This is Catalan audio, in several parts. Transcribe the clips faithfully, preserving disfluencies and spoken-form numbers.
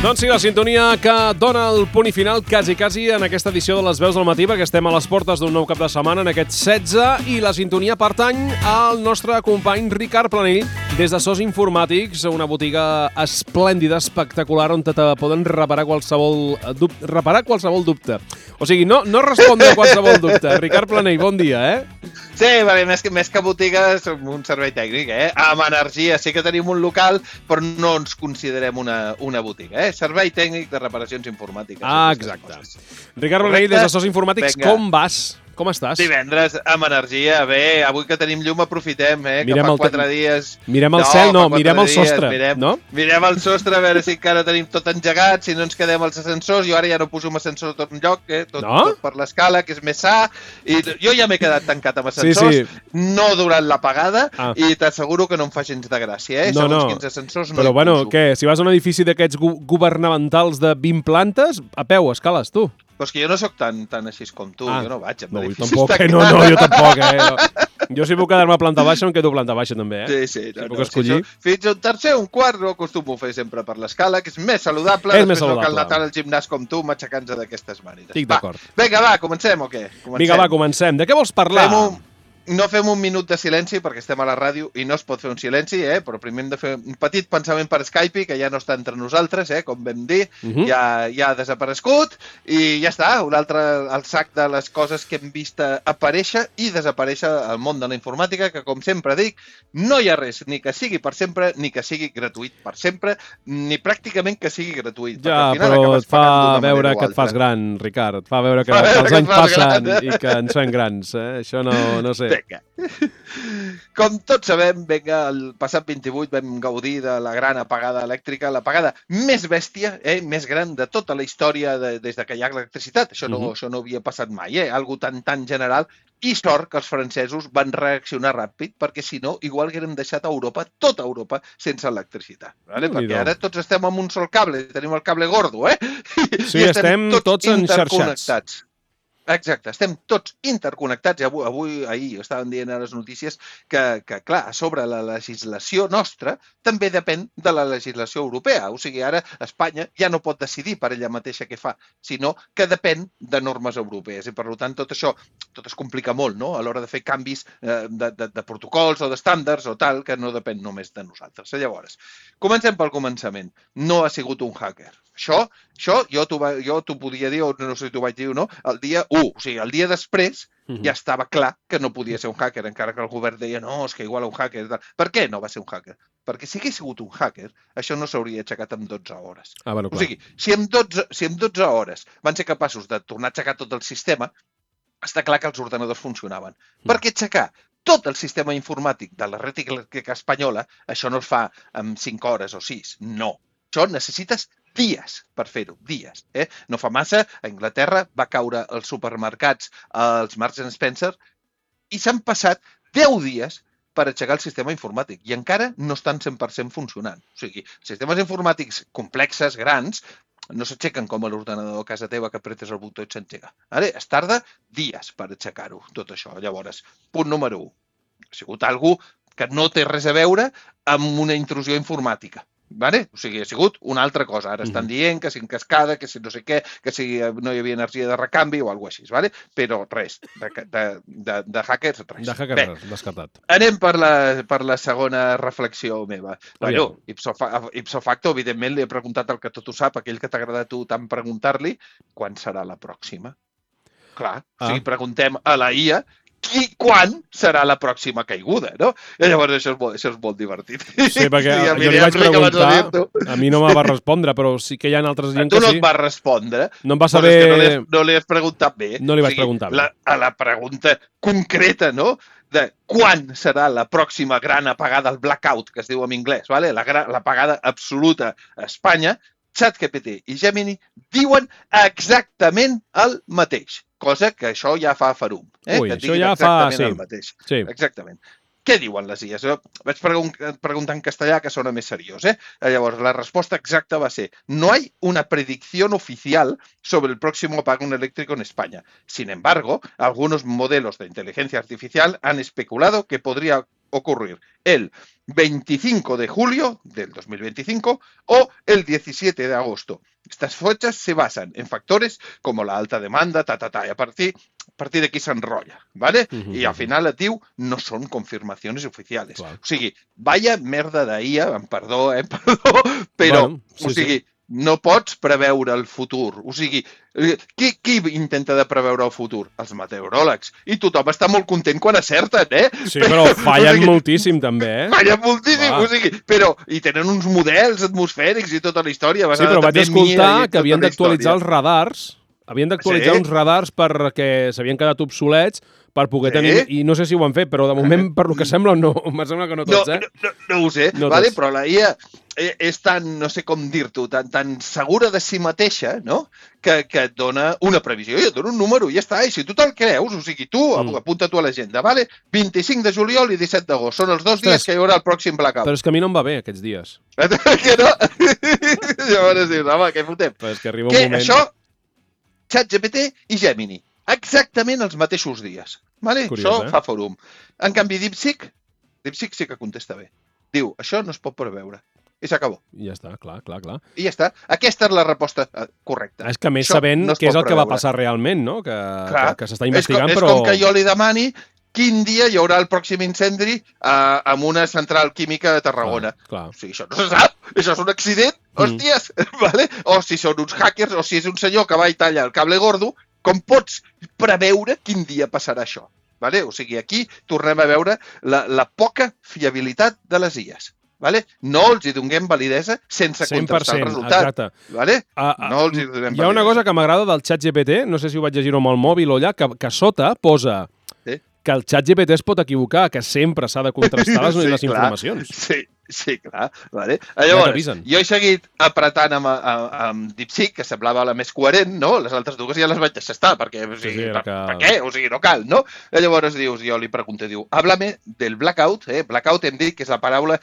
Doncs sí, la sintonia que dona el punt i final quasi, quasi en aquesta edició de les Veus del Matí, perquè estem a les portes d'un nou cap de setmana en aquest setze, i la sintonia pertany al nostre company Ricard Planell des de Sos Informàtics, una botiga esplèndida, espectacular, on te poden reparar qualsevol dubte. Reparar qualsevol dubte. O sigui, no, no respondre a qualsevol dubte. Ricard Planell, bon dia, eh? Sí, perquè més que, més que botiga som un servei tècnic, eh? Amb energia. Sí que tenim un local, però no ens considerem una, una botiga, eh? Servei tècnic de reparacions informàtiques. Ah, exacte. Ricard Planell, des de Sos Informàtics, Venga. Com vas? Com estàs? Divendres amb energia. Bé, avui que tenim llum aprofitem, eh? Que fa quatre dies... Mirem el cel, no, mirem el sostre, no? Mirem el sostre, a veure si encara tenim tot engegat, si no ens quedem als ascensors. Jo ara ja no poso un ascensor a tot lloc, eh? Tot, tot per l'escala, que és més sa. I jo ja m'he quedat tancat amb ascensors, no durant l'apagada, i t'asseguro que no em fa gens de gràcia, eh? Segons quins ascensors no hi poso. Però bueno, què? Si vas a un edifici d'aquests governamentals de vint plantes, a peu, escales, tu. Però és que jo no sóc tan, tan així com tu, ah, jo no vaig. No, jo tampoc, eh? no, no, jo tampoc, eh? No. Jo si puc quedar-me a planta baixa, em quedo a planta baixa també, eh? Sí, sí. Si no, puc no, escollir. Si fins un tercer o un quart no acostumo a fer sempre per l'escala, que és més saludable. És més saludable. No cal anar tant al gimnàs com tu, matxacant-se d'aquestes maneres. Estic d'acord. Vinga, va, comencem o què? Comencem. Vinga, va, comencem. De què vols parlar? Fem un... No fem un minut de silenci, perquè estem a la ràdio i no es pot fer un silenci, eh? Però primer hem de fer un petit pensament per Skype, que ja no està entre nosaltres, eh? Com vam dir, uh -huh. ja, ja ha desaparegut, i ja està, un altre al sac de les coses que hem vist aparèixer i desaparèixer al món de la informàtica, que com sempre dic, no hi ha res, ni que sigui per sempre, ni que sigui gratuït per sempre, ni pràcticament que sigui gratuït. Ja, però et fa veure que et fas gran, Ricard, et fa veure que, fa veure que els que anys passen gran. I que ens fem grans, eh? Això no, no sé. Vinga. Com tots sabem, vinga, el passat vint-i-vuit vam gaudir de la gran apagada elèctrica, l'apagada més bèstia, eh, més gran de tota la història de, des de que hi ha electricitat. Això no, uh -huh. això no havia passat mai, eh? Algo tan, tan general. I sort que els francesos van reaccionar ràpid, perquè si no, igual haguérem deixat a Europa, tota Europa, sense electricitat. Vale? Perquè ara tots estem amb un sol cable, tenim el cable gordo, eh? Sí, I estem, estem tots, tots enxarxats. Exacte, estem tots interconnectats. Avui, avui ahir estaven dient a les notícies que, que, clar, a sobre la legislació nostra també depèn de la legislació europea. O sigui, ara Espanya ja no pot decidir per ella mateixa què fa, sinó que depèn de normes europees. I, per tant, tot això tot es complica molt, no?, a l'hora de fer canvis eh, de, de, de protocols o d'estàndards o tal, que no depèn només de nosaltres. Llavors, comencem pel començament. No ha sigut un hacker. Això, això jo t'ho podia dir, o no sé si t'ho vaig dir o no, el dia u, o sigui, el dia després uh-huh. ja estava clar que no podia ser un hacker, encara que el govern deia, no, és que igual un hacker... Per què no va ser un hacker? Perquè si hagués sigut un hacker, això no s'hauria aixecat en dotze hores. Ah, bueno, o sigui, si en, dotze, si en dotze hores van ser capaços de tornar a aixecar tot el sistema, està clar que els ordenadors funcionaven. Uh-huh. Per què aixecar tot el sistema informàtic de la red espanyola, això no es fa en cinc hores o sis, no. Això necessites dies per fer-ho, dies. Eh? No fa massa, a Anglaterra va caure als supermercats, als Marks and Spencer, i s'han passat deu dies per aixecar el sistema informàtic i encara no estan cent per cent funcionant. O sigui, sistemes informàtics complexes, grans, no s'aixequen com a l'ordenador a casa teva que apretes el botó i s'engega. Ara, es tarda dies per aixecar-ho, tot això. Llavors, punt número u. Ha sigut algú que no té res a veure amb una intrusió informàtica. Vale? O sigui, ha sigut una altra cosa. Ara estan dient que si en cascada, que si no sé què, que si no hi havia energia de recanvi o alguna cosa així, vale? Però res, de, de, de, de hackers, res. De hackers, res, descartat. Anem per la, per la segona reflexió meva. Bueno, ipso, ipso facto, evidentment, li he preguntat el que tot ho sap, aquell que t'agrada a tu tant preguntar-li, quan serà la pròxima? Clar, ah. o sigui, preguntem a la I A i quan serà la pròxima caiguda, no? I llavors això és molt, això és molt divertit. Sí, perquè sí, jo li vaig preguntar, a mi no me va respondre, però sí que hi ha altres gent que sí. Tu no et vas respondre. No em va saber... No li, has, no li has preguntat bé. No li vaig o sigui, preguntar bé. La, a la pregunta concreta, no?, de quan serà la pròxima gran apagada, el blackout, que es diu en anglès, vale? la, la apagada absoluta a Espanya, ChatGPT i Gemini diuen exactament el mateix. Cosa que això ja fa farum. Eh? Ui, que això ja fa... Sí. El mateix. Sí. Exactament. Què diuen les I As? Jo vaig preguntar en castellà, que sona més seriós. ¿eh? Llavors, la resposta exacta va ser: no hay una predicción oficial sobre el próximo apagón eléctrico en España. Sin embargo, algunos modelos de inteligencia artificial han especulado que podría ocurrir el veinticinco de julio del dos mil veinticinco o el diecisiete de agosto. Estas fechas se basan en factores como la alta demanda, ta, ta, ta, y a partir, a partir d'aquí s'enrotlla, ¿vale? Uh -huh. I al final et diu, no són confirmacions oficials. Clar. O sigui, vaya merda d'I A, em perdó, eh, perdó, però, bueno, sí, o sigui, sí. No pots preveure el futur. O sigui, qui, qui intenta de preveure el futur? Els meteoròlegs. I tothom està molt content quan acerten, eh? Sí, però fallen o sigui, moltíssim, també, eh? Fallen moltíssim, Va. o sigui, però... I tenen uns models atmosfèrics i tota la història. Sí, però vaig escoltar que havien d'actualitzar els radars. Havien d'actualitzar sí? uns radars perquè s'havien quedat obsolets per poder sí? tenir... I no sé si ho han fet, però de moment, per lo que sembla, no. Em sembla que no tots, no, eh? No, no, no ho sé, no vale? Però la I A és tan, no sé com dir-t'ho, tan, tan segura de si mateixa, no?, que, que et dona una previsió i et dona un número i ja està. I si tu te'l creus, o sigui, tu, mm. apunta tu a l'agenda, vale? vint-i-cinc de juliol i disset d'agost. Són els dos Ostres, dies que hi haurà el pròxim blackout. Però és que a mi no em va bé, aquests dies. Que no? Llavors dius, home, què fotem? Però és que arriba un que moment... Això, ChatGPT i Gemini. Exactament els mateixos dies. Vale? Curiós, això eh? fa fòrum. En canvi, DeepSeek, DeepSeek sí que contesta bé. Diu, això no es pot preveure. I s'acabó. I ja està, clar, clar, clar. I ja està. Aquesta és la resposta correcta. És que més això sabent no què és el preveure. Que va passar realment, no? Que, que, que s'està investigant, és com, però... És com que jo li demani quin dia hi haurà el pròxim incendi uh, amb una central química a Tarragona. Clar, clar. O sigui, això no se sap. Això és un accident, hòsties. Mm. Vale? O si són uns hackers, o si és un senyor que va i talla el cable gordo, com pots preveure quin dia passarà això? Vale? O sigui, aquí tornem a veure la, la poca fiabilitat de les I As. Vale? No els hi donem validesa sense contrastar el resultat. Exacte. Vale? Uh, uh, no els hi donem hi ha una cosa que m'agrada del ChatGPT, no sé si ho vaig llegir amb el mòbil o allà, que, que sota posa sí? que el ChatGPT es pot equivocar, que sempre s'ha de contrastar les, sí, les informacions. Sí, sí, clar. Vale? Llavors, jo he seguit apretant amb, amb, amb DeepSeek, que semblava la més coherent, no? Les altres dues ja les vaig deixar estar, perquè, o sigui, sí, per, que... per què? O sigui, no cal, no? I llavors dius, jo li pregunto, diu, háblame del blackout, eh? Blackout hem dit que és la paraula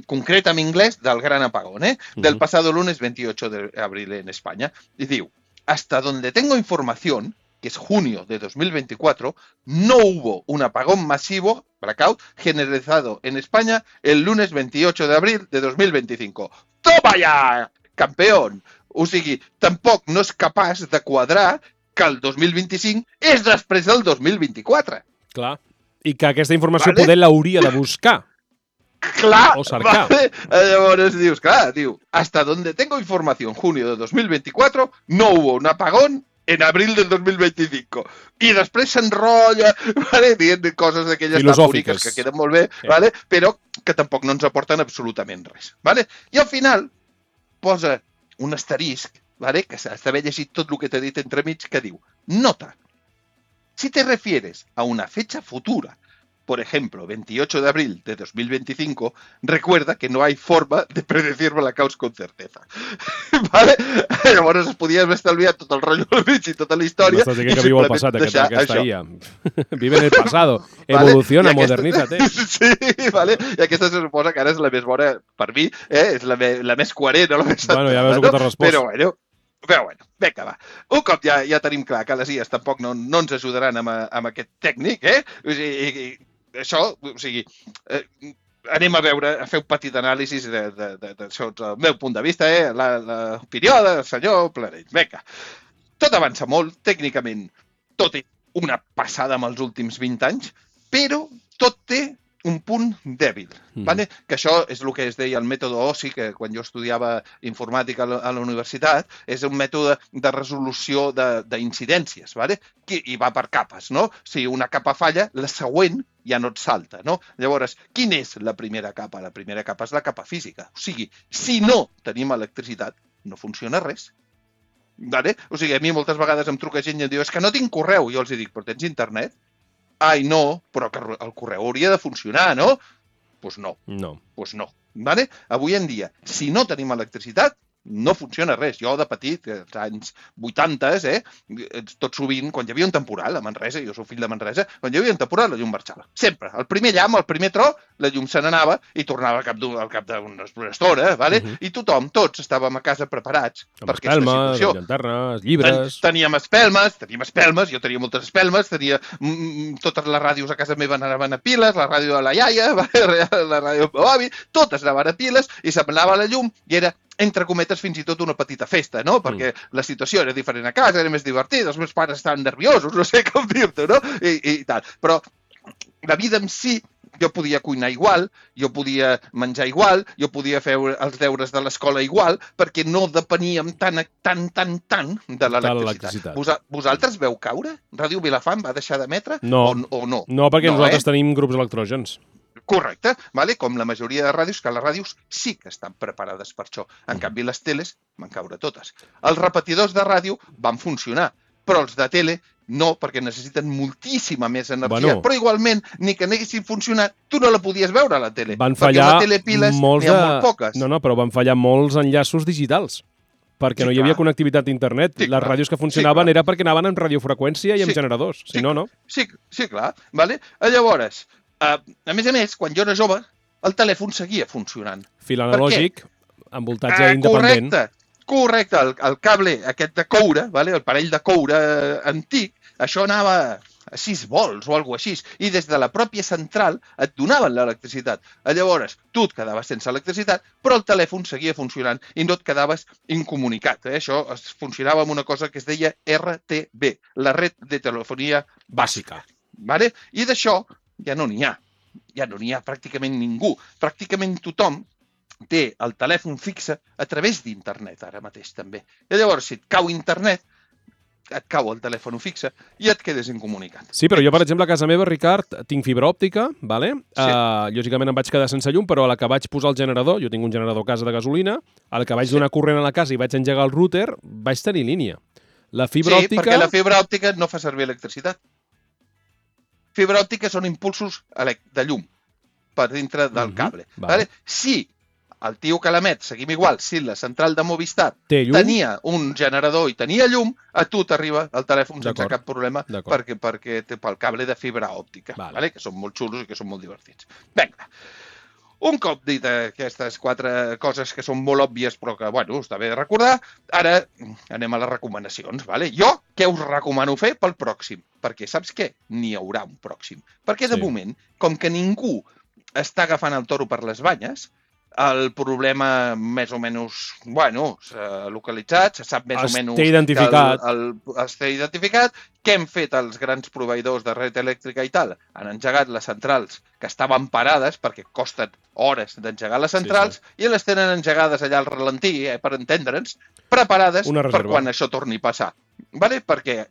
concreta en inglés del gran apagón, ¿eh? Uh-huh. Del pasado lunes veintiocho de abril en España. Y digo, hasta donde tengo información, que es junio de dos mil veinticuatro, no hubo un apagón masivo, blackout, generalizado en España el lunes veintiocho de abril de dos mil veinticinco. ¡Toma ya, campeón! O sigui, tampoc no és capaç de quadrar que el dos mil vint-i-cinc és després del dos mil vint-i-quatre. Clar, i que aquesta informació vale? Poder l'hauria de buscar. Clar, o cercar. Vale? Llavors dius, clar, diu, hasta donde tengo información, junio de dos mil veinticuatro, no hubo un apagón en abril del dos mil veinticinco. I després s'enrotlla, vale? Dient coses d'aquelles tan boniques que queden molt bé, sí. Vale? Però que tampoc no ens aporten absolutament res. Vale? I al final posa un asterisc, vale? Que s'ha d'haver llegit tot el que t'he dit entremig, que diu, nota, si te refieres a una fecha futura, por ejemplo, veintiocho de abril de dos mil veinticinco, recuerda que no hay forma de predecir blackouts con certeza. ¿Vale? Llavors es podia haver estalviat tot el rotllo del mig i tota la història. M'estàs dient que viu el passat, aquesta, aquesta I A. Vive en el pasado. Evoluciona, vale? Modernízate. Sí, vale? I aquesta se suposa que ara és la més bona per mi, eh? És la, me, la més coherent, no? La més bueno, ja veus el que t'has respost. Però bueno, Però bueno, vinga, va. Un cop ja, ja tenim clar que les I As tampoc no, no ens ajudaran amb, amb aquest tècnic, eh? O sigui, això, o sigui, eh, anem a veure, a fer un petit anàlisi de, de, de, de, del meu punt de vista, eh? L'opinió del senyor Planell. Vinga. Tot avança molt, tècnicament, tot és una passada amb els últims vint anys, però tot té un punt dèbil, mm. vale? Que això és el que es deia el mètode O S I, que quan jo estudiava informàtica a la universitat, és un mètode de resolució d'incidències, vale? I va per capes, no? Si una capa falla, la següent ja no et salta, no? Llavors, quina és la primera capa? La primera capa és la capa física. O sigui, si no tenim electricitat, no funciona res. Vale? O sigui, a mi moltes vegades em truca gent i em diu, és que no tinc correu. Jo els dic, però tens internet? Ai, no, però que el correu hauria de funcionar, no? Doncs pues no. No. Doncs pues no. Vale? Avui en dia, si no tenim electricitat, no funciona res. Jo de petit, als anys vuitanta, eh, tot sovint, quan hi havia un temporal a Manresa, jo soc fill de Manresa, quan hi havia un temporal la llum marxava. Sempre. El primer llamp, el primer tro, la llum se n'anava i tornava al cap d'una estona, vale? Uh -huh. I tothom, tots estàvem a casa preparats amb per aquesta espelmes, situació. amb llanternes, llibres... Ten, teníem espelmes, teníem espelmes, jo tenia moltes espelmes, tenia mm, totes les ràdios a casa meva anaven a piles, la ràdio de la iaia, la ràdio del avi, totes anaven a piles i s'anava la llum i era, entre cometes, fins i tot una petita festa, no? Perquè mm. la situació era diferent a casa, era més divertida, els meus pares estaven nerviosos, no sé com dir-t'ho, no? I, i tal. Però la vida en si, jo podia cuinar igual, jo podia menjar igual, jo podia fer els deures de l'escola igual, perquè no depeníem tan, tan, tan, tan de l'electricitat. Vos, vosaltres veu caure? Ràdio Vilafant va deixar d'emetre? No. O, o no? No, perquè no, nosaltres eh? tenim grups electrògens. Correcte, vale? Com la majoria de ràdios, que les ràdios sí que estan preparades per això. En canvi, les teles van caure totes. Els repetidors de ràdio van funcionar, però els de tele no, perquè necessiten moltíssima més energia. Bueno, però igualment, ni que n'haguessin funcionat, tu no la podies veure a la tele. Van fallar telepiles molts n'hi ha de... molt poques. No, no, però van fallar molts enllaços digitals. Perquè sí, no hi havia clar. connectivitat a internet. Sí, les clar. ràdios que funcionaven sí, era perquè anaven amb radiofreqüència i amb sí, generadors. Si sí, no, no. Sí, sí, clar. Vale? Llavors, uh, a més a més, quan jo era jove, el telèfon seguia funcionant. Fil analògic, amb voltatge uh, independent. Correcte, correcte. El, el cable aquest de coure, vale? El parell de coure uh, antic, això anava a sis volts o alguna cosa així, i des de la pròpia central et donaven l'electricitat. Llavors, tu et quedaves sense electricitat, però el telèfon seguia funcionant i no et quedaves incomunicat. Eh? Això es funcionava amb una cosa que es deia R T B, la red de telefonia bàsica. Vale? I d'això ja no n'hi ha. Ja no n'hi ha pràcticament ningú. Pràcticament tothom té el telèfon fixe a través d'internet ara mateix també. I llavors, si et cau internet, et cau el telèfon fixe i et quedes incomunicat. Sí, però jo, per exemple, a casa meva, Ricard, tinc fibra òptica, vale? Sí. Uh, lògicament em vaig quedar sense llum, però a la que vaig posar el generador, jo tinc un generador a casa de gasolina, a la que vaig sí. donar corrent a la casa i vaig engegar el router, vaig tenir línia. La fibra sí, òptica... perquè la fibra òptica no fa servir electricitat. Fibra òptica són impulsos de llum per dintre del uh-huh. cable. Vale. Vale? Si el tio que l'emet, seguim igual, si la central de Movistar tenia un generador i tenia llum, a tu t'arriba el telèfon sense cap problema perquè, perquè té pel cable de fibra òptica, vale. Vale? Que són molt xulos i que són molt divertits. Vinga, un cop dit aquestes quatre coses que són molt òbvies però que, bueno, està bé de recordar, ara anem a les recomanacions. Vale? Jo què us recomano fer pel pròxim? Perquè saps què? N'hi haurà un pròxim. Perquè de sí. moment, com que ningú està agafant el toro per les banyes, el problema més o menys, bueno, s'ha localitzat, se sap més es o menys... Té identificat. El, el, es té identificat. Què han fet els grans proveïdors de red elèctrica i tal? Han engegat les centrals que estaven parades, perquè costen hores d'engegar les centrals, sí, sí. i les tenen engegades allà al ralentí, eh, per entendre'ns, preparades per quan això torni a passar. Vale? Perquè,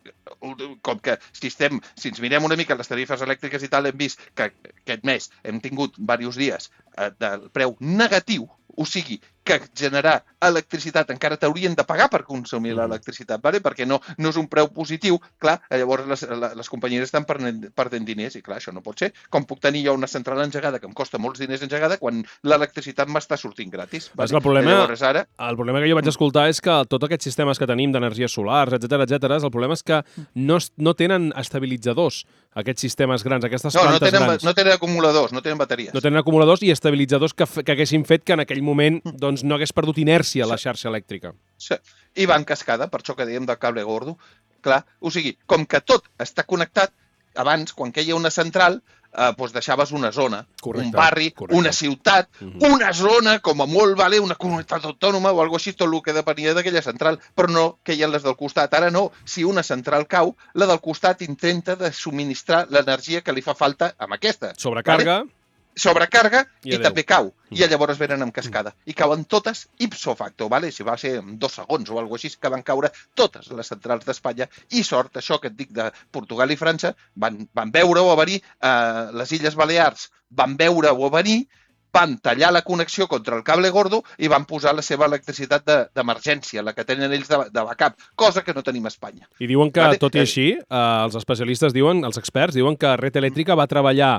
com que si, estem, si ens mirem una mica les tarifes elèctriques i tal, hem vist que aquest mes hem tingut diversos dies eh, del preu negatiu, o sigui, que generar electricitat encara t'haurien de pagar per consumir mm. l'electricitat, vale? Perquè no, no és un preu positiu, clar, llavors les, les companyies estan perdent, perdent diners i clar, això no pot ser. Com puc tenir jo una central engegada que em costa molts diners engegada quan l'electricitat m'està sortint gratis? Vale? El, problema, ara... el problema que jo vaig escoltar és que tots aquests sistemes que tenim d'energies solars, etcètera, etcètera, el problema és que no, no tenen estabilitzadors, aquests sistemes grans, aquestes no, plantes no tenen, grans. No tenen acumuladors, no tenen bateries. No tenen acumuladors i estabilitzadors que, que haguessin fet que en aquell moment doncs, no hagués perdut inèrcia a la xarxa elèctrica. Sí. I va en cascada, per això que dèiem del cable gordo. Clar, o sigui, com que tot està connectat, abans, quan queia una central, eh, doncs deixaves una zona, correcte, un barri, correcte. Una ciutat, uh-huh. una zona, com a molt, vale, una comunitat autònoma o alguna cosa així, tot el que depenia d'aquella central, però no queien les del costat. Ara no, si una central cau, la del costat intenta de subministrar l'energia que li fa falta amb aquesta. Sobrecarga. Vale? Sobrecarga i, i adeu. també cau. I llavors venen en cascada. I cauen totes ipso facto, vale? Si va ser en dos segons o alguna cosa així, que van caure totes les centrals d'Espanya. I sort, això que et dic de Portugal i França, van, van veure-ho a venir, eh, les Illes Balears van veure-ho a venir, van tallar la connexió contra el cable gordo i van posar la seva electricitat d'emergència, de, la que tenen ells de, de backup, cosa que no tenim a Espanya. I diuen que, vale? Tot i Eh, així, eh, els especialistes diuen, els experts diuen que Red Elèctrica va treballar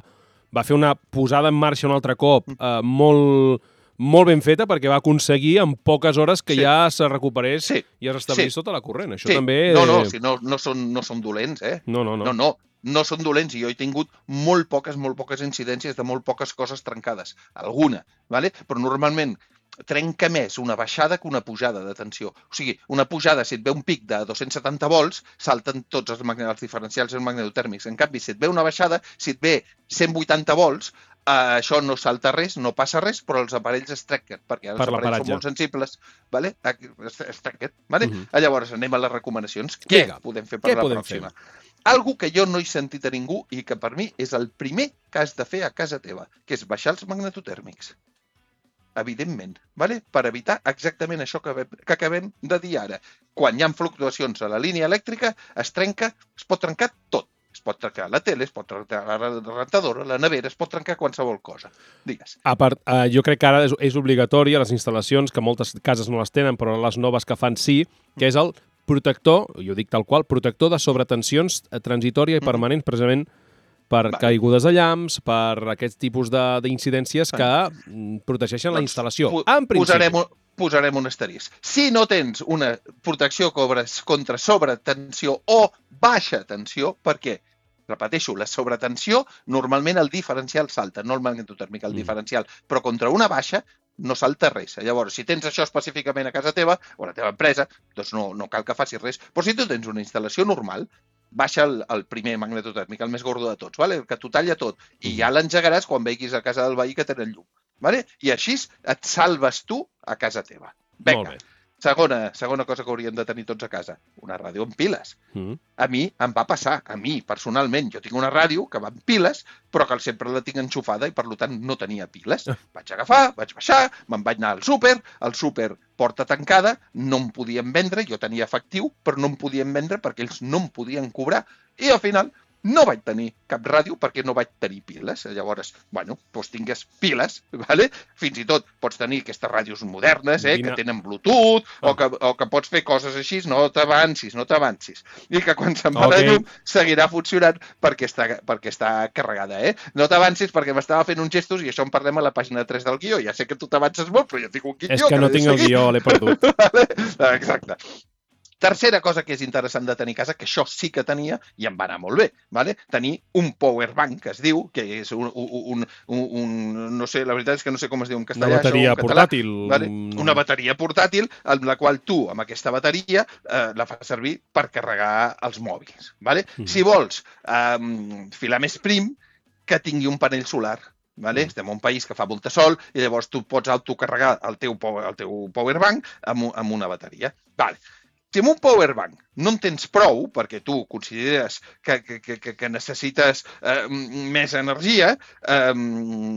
va fer una posada en marxa un altre cop eh, molt, molt ben feta perquè va aconseguir en poques hores que Sí. ja se recuperés Sí. i es restablís Sí. tota la corrent. Això Sí. també... No, no, si no, no, són, no són dolents, eh? No, no, no. No, no, no són dolents i jo he tingut molt poques, molt poques incidències de molt poques coses trencades. Alguna, ¿vale? Però normalment trenca més una baixada que una pujada de tensió. O sigui, una pujada, si et ve un pic de dos-cents setanta volts, salten tots els, magne- els diferencials i els magnetotèrmics. En canvi, si et ve una baixada, si et ve cent vuitanta volts, eh, això no salta res, no passa res, però els aparells es trenquen, perquè els Per aparells l'aparatge. són molt sensibles, ¿vale? Es, es trenquen, ¿vale? Mhm. Llavors, anem a les recomanacions. Què Vinga, podem fer per què la podem pròxima? Algo que jo no he sentit a ningú i que per mi és el primer que has de fer a casa teva, que és baixar els magnetotèrmics. Evidentment, ¿vale? Per evitar exactament això que, ve- que acabem de dir ara. Quan hi ha fluctuacions a la línia elèctrica, es trenca, es pot trencar tot. Es pot trencar la tele, es pot trencar la rentadora, la nevera, es pot trencar qualsevol cosa. Digues. A part, eh, jo crec que ara és, és obligatori a les instal·lacions, que moltes cases no les tenen, però les noves que fan sí, que és el protector, jo dic tal qual, protector de sobretensions eh, transitòria i Mhm. permanent, precisament per Vale. caigudes de llamps, per aquests tipus de- d'incidències que mm, protegeixen la Doncs instal·lació. pu- En principi. Posarem, un- posarem un asterisc. Si no tens una protecció contra, contra sobretensió o baixa tensió, per què? Repeteixo, la sobretensió, normalment el diferencial salta, no el magnetotèrmic, el Mm. diferencial, però contra una baixa no salta res. Llavors, si tens això específicament a casa teva o a la teva empresa, doncs no, no cal que facis res. Però si tu tens una instal·lació normal, baixa el, el primer magnetotèrmic, el més gordo de tots, vale? El que t'ho talla tot, i ja l'engegaràs quan veguis a casa del veí que tenen llum. Vale? I així et salves tu a casa teva. Molt Vinga. bé. Segona, segona cosa que hauríem de tenir tots a casa, una ràdio amb piles. Mm. A mi em va passar, a mi personalment, jo tinc una ràdio que va amb piles, però que sempre la tinc enxufada i per tant no tenia piles. Vaig agafar, vaig baixar, me'n vaig anar al súper, al súper porta tancada, no em podien vendre, jo tenia efectiu, però no em podien vendre perquè ells no em podien cobrar. I al final no vaig tenir cap ràdio perquè no vaig tenir piles. Llavors, bueno, doncs tingues piles, ¿vale? Fins i tot pots tenir aquestes ràdios modernes, eh, Quina- que tenen Bluetooth, Ah. o, que, o que pots fer coses així, no t'avancis, no t'avancis. I que quan se'n va Ok. la llum seguirà funcionant perquè està, perquè està carregada, eh? No t'avancis perquè m'estava fent uns gestos i això en parlem a la pàgina tres del guió. Ja sé que tu t'avances molt, però jo tinc un guió És que no l'he de tinc el seguir. guió, l'he perdut. Vale? Exacte. Tercera cosa que és interessant de tenir a casa, que això sí que tenia i em va anar molt bé, vale? Tenir un power bank, que es diu, que és un, un, un, un no sé, la veritat és que no sé com es diu en Una castellà, bateria això, en català, portàtil. vale? Una bateria portàtil, amb la qual tu, amb aquesta bateria, eh, la fas servir per carregar els mòbils, vale? Mhm. Si vols eh, filar més prim, que tingui un panell solar. Vale? Mm. Estem en un país que fa molta sol i llavors tu pots autocarregar el teu, power- el teu power bank amb, un- amb una bateria. Vale. Si amb un power bank no en tens prou, perquè tu consideres que, que, que, que- que necessites eh, més energia, eh,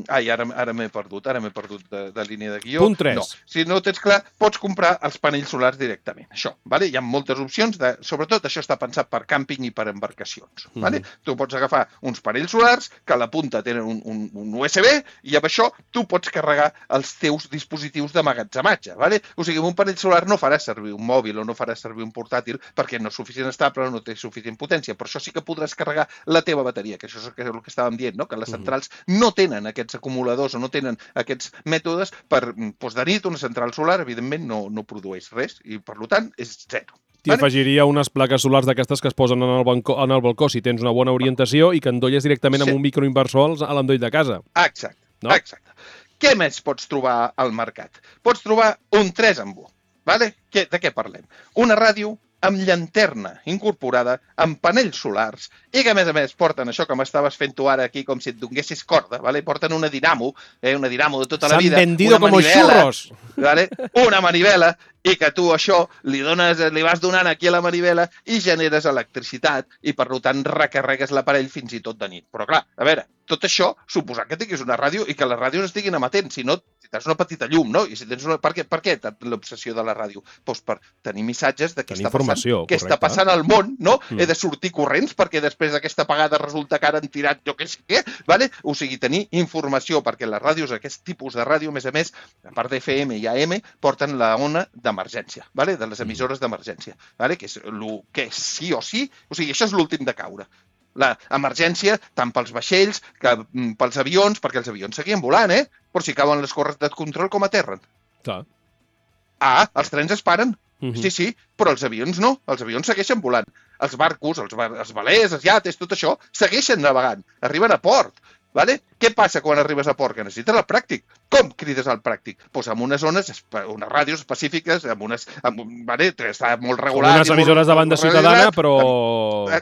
ai, ara, ara m'he perdut, ara m'he perdut de, de línia de guió. Punt tres. No, si no ho tens clar, pots comprar els panells solars directament. Això, vale? Hi ha moltes opcions, de, sobretot això està pensat per càmping i per embarcacions. Vale? Mhm. Tu pots agafar uns panells solars que a la punta tenen un, un, un U S B i amb això tu pots carregar els teus dispositius d'emmagatzematge. Vale? O sigui, amb un panell solar no faràs servir un mòbil o no faràs servir un portàtil perquè no és suficient estable o no té suficient potència, però això sí que podràs carregar la teva bateria, que això és el que, el que estàvem dient, no? Que les centrals no tenen aquests acumuladors o no tenen aquests mètodes per, doncs de nit una central solar, evidentment, no, no produeix res i, per tant, és zero. T'hi afegiria unes plaques solars d'aquestes que es posen en el, balcó, en el balcó si tens una bona orientació i que endolles directament Sí. amb un microinversor als- a l'endoll de casa. Exacte, No? exacte. Què més pots trobar al mercat? Pots trobar un tres en un. Vale? Què, de què parlem? Una ràdio amb llanterna incorporada, amb panells solars, i que, a més a més, porten això que m'estaves fent tu ara aquí com si et donessis corda, vale? Porten una dinamo, eh? una dinamo de tota la S'han vida. vendido una como manivela, churros. Vale? Una manivela, i que tu això li, dones, li vas donant aquí a la manivela i generes electricitat i, per tant, recarregues l'aparell fins i tot de nit. Però, clar, a veure, tot això suposar que tinguis una ràdio i que les ràdios estiguin emetent, si no, si tens una petita llum, no? I si tens una... Per què, per què l'obsessió de la ràdio? Doncs per tenir missatges de què Tenir està passant, informació, què està correcte. passant al món, no? Mm. He de sortir corrents perquè després d'aquesta apagada resulta que ara han tirat jo què sé què, vale? O sigui, tenir informació, perquè les ràdios, aquest tipus de ràdio, a més a més, a part d'F M i A M, porten la ona d'emergència, vale? De les emissores d'emergència, vale? Que és el que sí o sí, o sigui, això és l'últim de caure. l'emergència tant pels vaixells que pels avions, perquè els avions seguien volant, eh? Però si cauen les corres de control com aterren. Clar. Ah, els trens es paren. Uh-huh. Sí, sí, però els avions no. Els avions segueixen volant. Els barcos, els, bar els velers, els iates, tot això, segueixen navegant. Arriben a port. Vale? Què passa quan arribes a port? Que necessites el pràctic. Com crides al pràctic? Doncs pues amb unes zones, unes ràdios específiques, amb unes... Amb, vale? Està molt regular. Com unes emissores de banda ciutadana, però...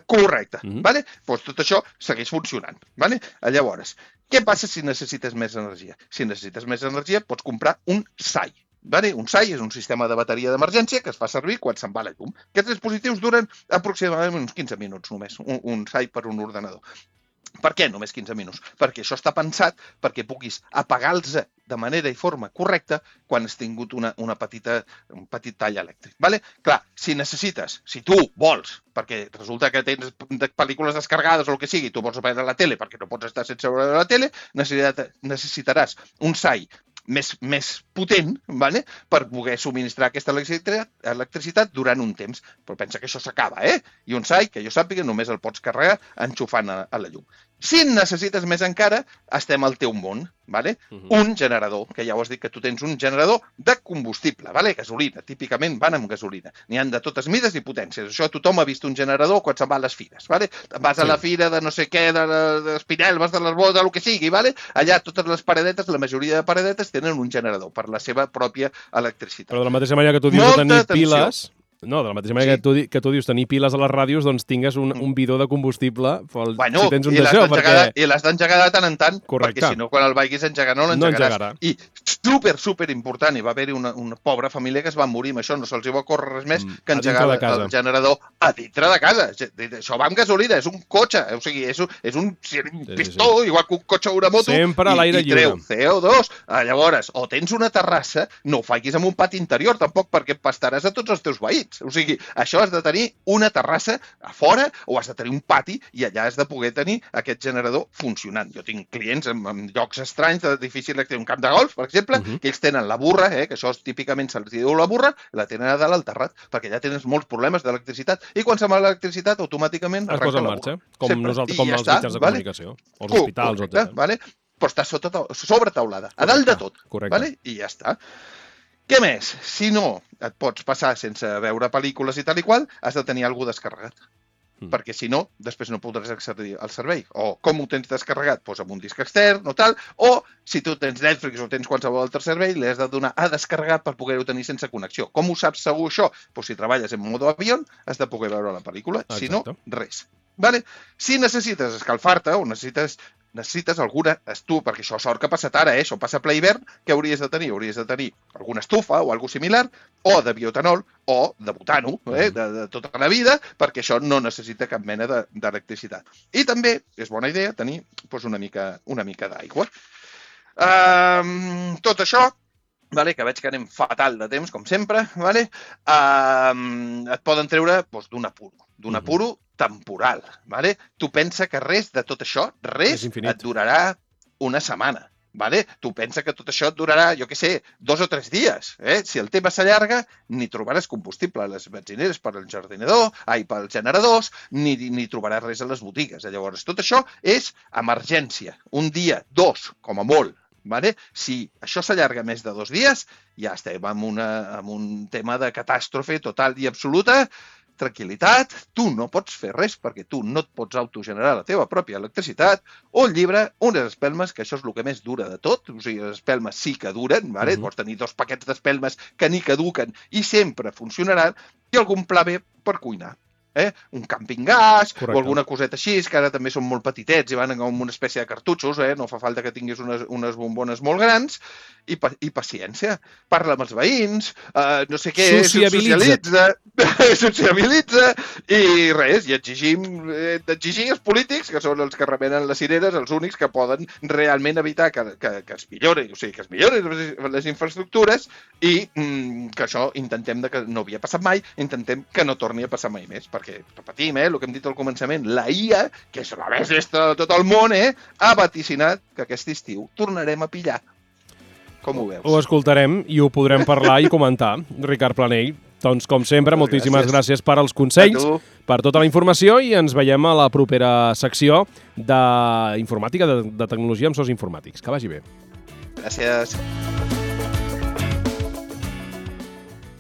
Correcte. Uh-huh. Vale? Pues tot això segueix funcionant. Vale? Llavors, què passa si necessites més energia? Si necessites més energia, pots comprar un S A I. Vale? Un S A I és un sistema de bateria d'emergència que es fa servir quan se'n va la llum. Aquests dispositius duren aproximadament uns quinze minuts només, un, un S A I per un ordenador. Per què només quinze minuts? Perquè això està pensat perquè puguis apagar-los de manera i forma correcta quan has tingut una, una petita, un petit tall elèctric. Vale? Clar, si necessites, si tu vols, perquè resulta que tens pel·lícules descarregades o el que sigui, tu vols veure la tele perquè no pots estar sense veure la tele, necessitaràs un S A I més, més potent, vale? Per poder subministrar aquesta electricitat, electricitat durant un temps. Però pensa que això s'acaba, eh? I un S A I, que jo sàpiga, només el pots carregar enxufant a, a la llum. Si en necessites més encara, estem al teu món, vale? Uh-huh. Un generador, que ja ho has dit que tu tens un generador de combustible, vale? Gasolina, típicament van amb gasolina. N'hi han de totes mides i potències. Això tothom ha vist un generador quan se'n va a les fires, vale? Vas a sí. la fira de no sé què, de, de Espinel, vas de les bodes, del que sigui, vale? Allà totes les paradetes, la majoria de paradetes tenen un generador per la seva pròpia electricitat. Però de la mateixa manera que tu dius de tenir piles... No, de la mateixa manera sí. que, tu, que tu dius tenir piles a les ràdios, doncs tingues un, un bidó de combustible pel, bueno, si tens un d'això. Perquè... I l'has d'engegar de tant en tant, correcte. Perquè si no, quan el vagis a engegar no l'engegaràs. No I super, super important, hi va haver-hi una, una pobra família que es va morir amb això, no se'ls va córrer res més mm, que engegar el generador a dintre de casa. Això va amb gasolina, és un cotxe, o sigui, és un, és un pistó, sí, sí. igual que un cotxe o una moto, sempre a l'aire lliure. I treu C O dos. Llavors, o tens una terrassa, no ho facis amb un pati interior, tampoc, perquè pastaràs a tots els teus veïns. O sigui, això has de tenir una terrassa a fora o has de tenir un pati i allà has de poder tenir aquest generador funcionant. Jo tinc clients en, en llocs estranys, de difícil electric, un camp de golf, per exemple, uh-huh. que ells tenen la burra, eh, que això és, típicament se'ls diu la burra, la tenen a dalt al terrat, perquè ja tens molts problemes d'electricitat. I quan se'n va l'electricitat, automàticament es posa en marxa, com, nosaltres, com els està, mitjans de vale? comunicació, els hospitals, etcètera. Vale? Però està sota, sobre taulada, a dalt de tot. Correcte. Vale? I ja està. Què més? Si no et pots passar sense veure pel·lícules i tal i qual, has de tenir alguna descarregat. Mm. Perquè si no, després no podràs accedir al servei. O com ho tens descarregat? Doncs amb un disc extern o tal. O si tu tens Netflix o tens qualsevol altre servei, li has de donar a descarregar per poder-ho tenir sense connexió. Com ho saps segur això? Doncs si treballes en modo avió, has de poder veure la pel·lícula. Exacte. Si no, res. Vale? Si necessites escalfar-te o necessites... necessites alguna estufa, perquè això sort que ha passat ara, eh? Això passa ple hivern, què hauries de tenir? Hauries de tenir alguna estufa o alguna similar, o de bioetanol, o de butano, eh? de, de tota la vida, perquè això no necessita cap mena d'electricitat. I també és bona idea tenir doncs, una mica, una mica d'aigua. Um, tot això, vale, que veig que anem fatal de temps, com sempre, vale? um, et poden treure doncs, d'un apuro, d'un apuro temporal. Vale? Tu pensa que res de tot això, res et durarà una setmana. Vale? Tu pensa que tot això et durarà, jo què sé, dos o tres dies. Eh? Si el tema s'allarga, ni trobaràs combustible a les benzineres per al jardinador, ai, pels generadors, ni, ni trobaràs res a les botigues. Llavors, tot això és emergència. Un dia, dos, com a molt. Vale? Si això s'allarga més de dos dies, ja estem en, una, en un tema de catàstrofe total i absoluta. Tranquil·litat, tu no pots fer res perquè tu no et pots autogenerar la teva pròpia electricitat, o el llibre, unes espelmes, que això és el que més dura de tot, o sigui, les espelmes sí que duren, vale? Uh-huh. Pots tenir dos paquets d'espelmes que ni caduquen i sempre funcionaran, i algun pla B per cuinar. Eh? Un camping gas, correcte, o alguna coseta així, que ara també són molt petitets i van com una espècie de cartutxos, eh? No fa falta que tinguis unes, unes bombones molt grans, i, pa i paciència. Parla amb els veïns, eh, no sé què, socialitza, sociabilitza, i res, i exigim, eh, exigir els polítics, que són els que remenen les cireres, els únics que poden realment evitar que, que, que es millori, o sigui, que es millorin les infraestructures, i mm, que això intentem, de que no havia passat mai, intentem que no torni a passar mai més, perquè, repetim, eh, el que hem dit al començament, la I A, que és la més llesta de tot el món, eh, ha vaticinat que aquest estiu tornarem a pillar. Com ho veus? Ho escoltarem i ho podrem parlar i comentar. Ricard Planell, Doncs, com sempre, Moltes moltíssimes gràcies. gràcies per als A consells, tu. per tota la informació i ens veiem a la propera secció d'informàtica, de, de tecnologia amb sos informàtics. Que vagi bé. Gràcies.